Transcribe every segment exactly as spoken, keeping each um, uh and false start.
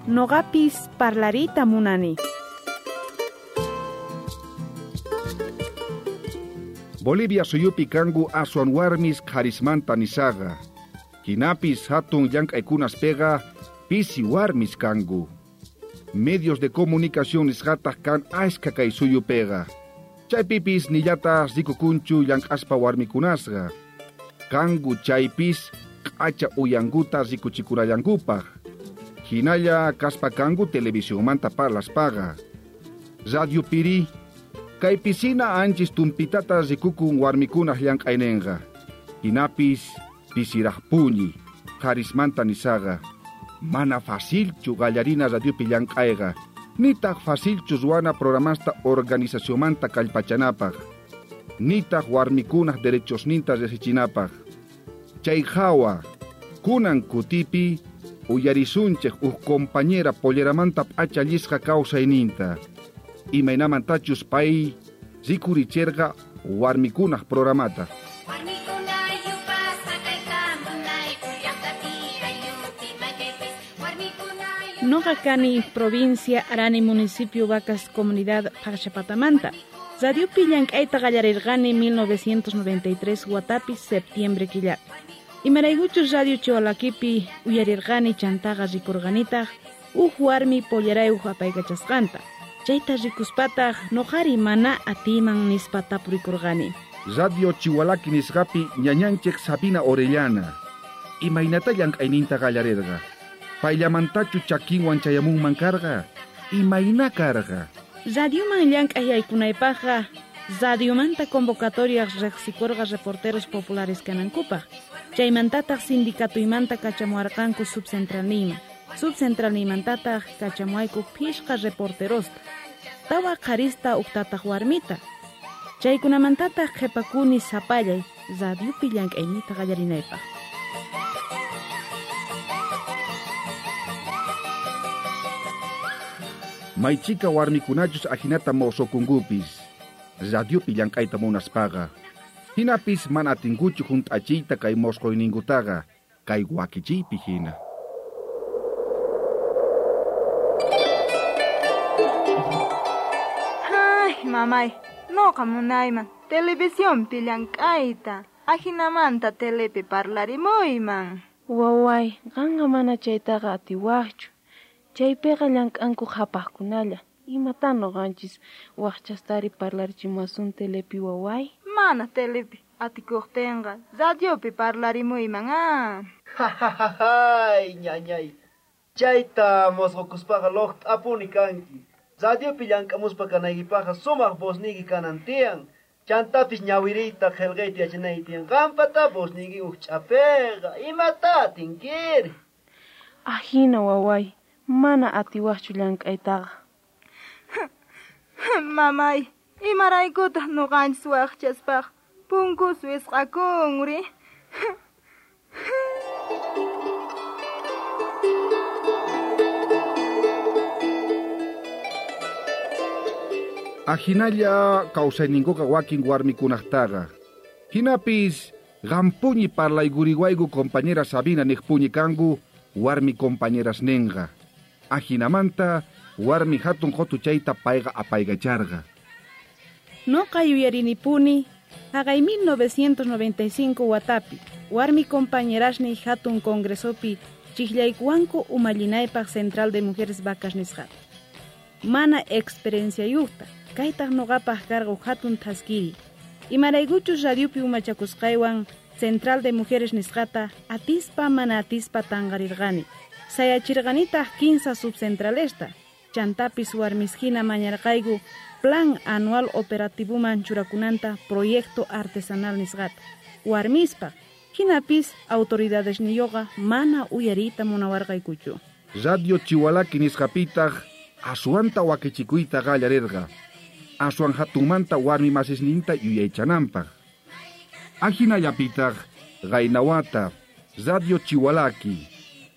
Noqapis parlarita munani. Bolivia suyupi kanku aswan warmis qharismanta nisaqa. Hinapis hatun llank'aykunaspiqa pisi warmis kanku. Medios de comunicación nisqataq kan ashka kay suyupiqa. Chaypipis nillatas rikukunchu llank'aspa warmikunasqa. Kanku chaypis q'acha uyankuta rikuchikurallankupaq. Hinalla kaspa kanku televisionmanta parlaspaqa. Radio piri kay pisina anchis tumpitata rikukun warmikunaq llank'aynenqa. Hinapis pisiraqpuñi qharismanta nisaqa. Mana facilchu qallarina radiopi llank'ayqa. Nitaq facilchu ruwana programasta organizacionmanta kallpachanapaq. Nitaq warmikunaq derechosninta riqsichinapaq. Chay hawa kunan kutipi uyarisunchej uj compañera polleramanta p'achallisqa kawsayninta. Imaynamantachus pay rikuricherqa warmikunaq programata. Noqa kani provincia Arani municipio Vacas comunidad Paqchapatamanta. Radiopi llank'ayta qallarirqani mil novecientos noventa y tres watapi septiembre killapi. Imaraykuchus radio Chiwalakipi uyarirqani chantaqa rikurqanitaq uj warmi pollerayuq apaykachasqanta. Chayta rikuspataq noqari mana atiyman nispa tapurikurqani. Radio Chiwalaki nisqapi ñañanchik Sabina Orellana. Imaynata llank'ayninta qallarirqa. Payllamantachu chakinwan chayamunman karqa. Imayna karqa. Radioman llank'ay yaykunaypaqqa radiomanta convocatoria riqsikurqa reporteros populares kanankupaq. Chaymantataq sindicatuymanta kachamuarqanku subcentralniyman. Subcentralniymantataq kachamuayku phishqa reporterosta. Tawa qharista uqtataq warmita. Chaykunamantataq qhipakuni sapallay radiopi llank'ayniyta qallarinaypaq. Maychika warmikunachus ajinata mawsukunkupis. Radiopi llank'ayta munaspaqa. Hinapis mana atinkuchu hunt'achiyta kay mosqoyninkutaqa kay wakichiypi hina. Ay, mamay, noqa munayman televisionpi llank'ayta. Ajinamanta telepi parlarimuyman. Waway, qanqa mana chaytaqa atiwaqchu. Chaypiqa llank'anku qhapaqkunalla. Imatan noqanchis waqchastari parlarichimuwasun telepi waway? Mana telepi atikuqtinqa radiopi parlarimuyman ah. Ay, ñañay. Chayta mosqokuspaqa loqt'apuni kanki. Radiopi llank'amuspa kanaykipaqqa sumaq vozniyki kanan tiyan. Chantapis ñawiriyta qillqayta yachanayki tiyan. Qampata vozniyki uj ch'apiqa. Imata atinkiri? Ajina waway. Mana atiwaqchu llank'aytaqa. Mamay, imaraykutaq noqanchis waqchaspaq punkus wisq'akunri. Ajinalla kawsayninkuqa wakin warmikunaqtaqa. Hinapis qampuñi parlaykuriwayku compañera Sabina niqpuñi kanku warmi compañeras ninqa. Ajinamanta warmi hatun qotuchayta payqa apaykacharqa. Noqa yuyarinipuni haqay mil novecientos noventa y cinco watapi warmi compañerasniy hatun congresopi chiqllaykuwanku umallinaypaq Central de Mujeres Vacas nisqata. Mana experienciayuqta kaytaq noqapaq karqa hatun thaskiri. Imaraykuchus radiopi umachakusqaywan Central de Mujeres nisqata atispa mana atispa tanqarirqani. Sayachirqanitaq kinsa subcentralesta. Chantapis warmis hina mañarqayku plan anual operativoman churakunanta proyecto artesanal nisqata. Warmispaq hinapis autoridadesniyoqa mana uyariyta munawarqaykuchu. Radio Chiwalaki nisqapitaq aswanta wakichikuyta qallarirqa. Aswan hatunmanta warmi masisninta yuyaychananpaq. Ajinallapitaq Gainawata, Radio Chiwalaki,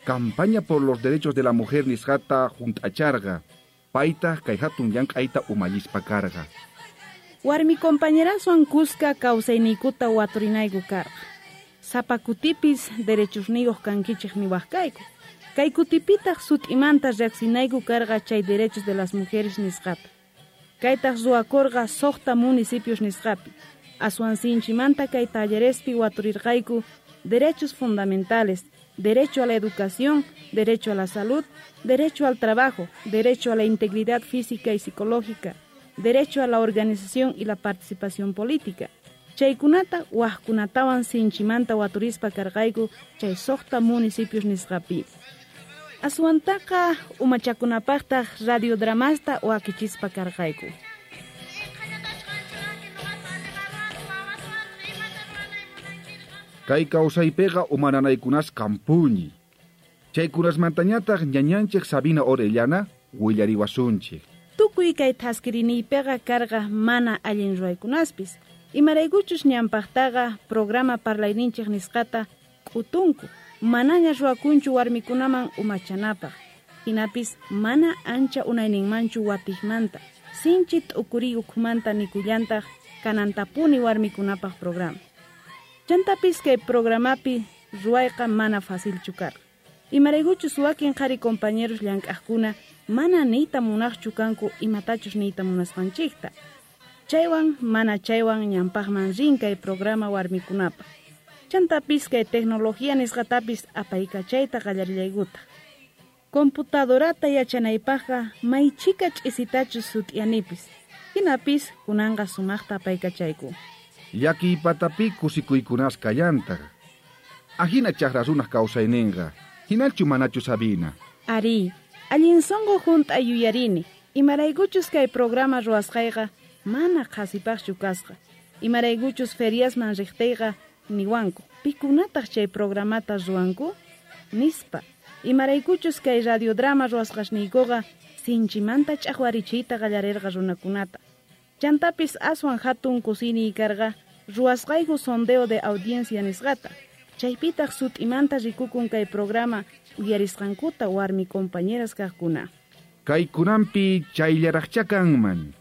campaña por los derechos de la mujer nisqata hunt'acharqa. Paytaq kay hatun llank'ayta umallispa karqa. Warmi compañeraswan kuska kawsayniykuta waturinayku karqa. Sapa kutipis derechosniyuq kankichej niwaj kayku. Kay kutipitaq sut'imanta riqsinayku karqa chay derechos de las mujeres nisqata. Kaytaq ruwakurqa suqta municipios nisqapi. Aswan sinchimanta kay tallerespi waturirqayku derechos fundamentales, derecho a la educación, derecho a la salud, derecho al trabajo, derecho a la integridad física y psicológica, derecho a la organización y la participación política. Chaykunata wajkunatawan sinchimanta waturispa karqayku chay suqta municipios nisqapi. Aswantaqa umachakunapaqtaq radiodramasta wakichispa karqayku. Kay kawsaypiqa umananaykunas kampuñi. Chaykunasmantañataq ñañanchik Sabina Orellana willariwasunchik. Tukuy kay thaskiriniypiqa karqa mana allin ruwaykunaspis. Imaraykuchus ñanpaqtaqa programa parlayninchik nisqata k'utunku. Manaña ruwakunchu warmikunaman umachanapaq. Hinapis mana ancha unayninmanchu watijmanta. Sinchi t'ukuri ukhumanta nikullantaq kanantapuni warmikunapaq programa. Chantapis kay programapi ruwayqa mana facilchu karqa. Imaraykuchus wakin qhari compañeros llank'aqkuna mana niyta munaqchu kanku imatachus niyta munasqanchikta. Chaywan mana chaywan ñanpaqman rin kay programa warmikunapaq. Chantapis kay tecnología nisqatapis apaykachayta qallarillaykutaq. Computadorata yachanaypaqqa maychika ch'isitachus sut'iyanipis. Hinapis kunanqa sumaqta apaykachayku. Llakiypatapi kusikuykunas kallantaq. Ajina chaqra runaq kawsayninqa. Hinachu manachu Sabina? Ari, allin sunqu hunt'a yuyarini. Imaraykuchus kay programa ruwasqayqa mana qhasipaqchu kasqa. Imaraykuchus feriasman riqtiyqa niwanku. Pikunataq chay programata ruwanku? Nispa. Imaraykuchus kay radiodrama ruwasqasniykuqa sinchimanta ch'aqwarichiyta qallarirqa runakunata. Chantapis aswan hatun kusiniy karqa ruwasqayku sondeo de audiencia nisqata. Chaypitaq sut'imanta rikukun kay programa uyarisqankuta warmi compañeras kaqkuna. Kaykunanpi chayllaraqcha kanman.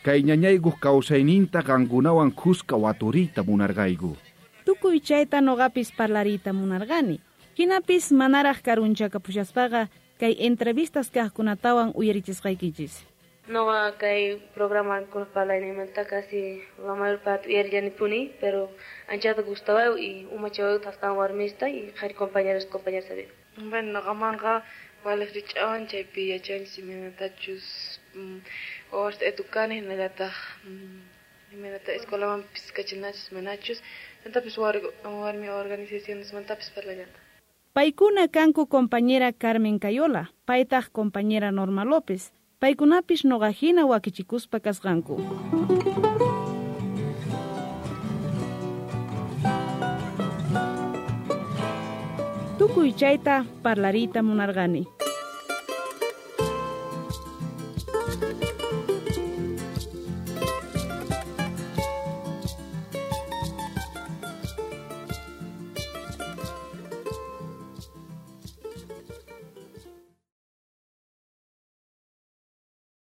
Kay ñañaykuq kawsayninta qankunawan khuska waturiyta munarqayku. Tukuy chayta noqapis parlariyta munarqani. Hinapis manaraq karunchakapushaspaqa kay entrevistas kaqkunatawan uyarichisqaykichis. Noqa kay programa parlayninmanta casi la mayor parte uyarillanipuni, pero anchata gustawayku y umachawayku astawan warmista y qhari compañeros compañeras había. Bueno, noqamanqa waliq rich'awan chaypi yachanchis imaynatachus wawasta educana hinallataq imaynata escuelamanpis kachanachus manachus chantapis warmi organizacionesmantapis parlallanta. Paykuna kanku compañera Carmen Cayola, paytaq compañera Norma López. Paykunapis noqajina wakichikuspa kasqanku. Tukuy chayta parlariyta munarqani.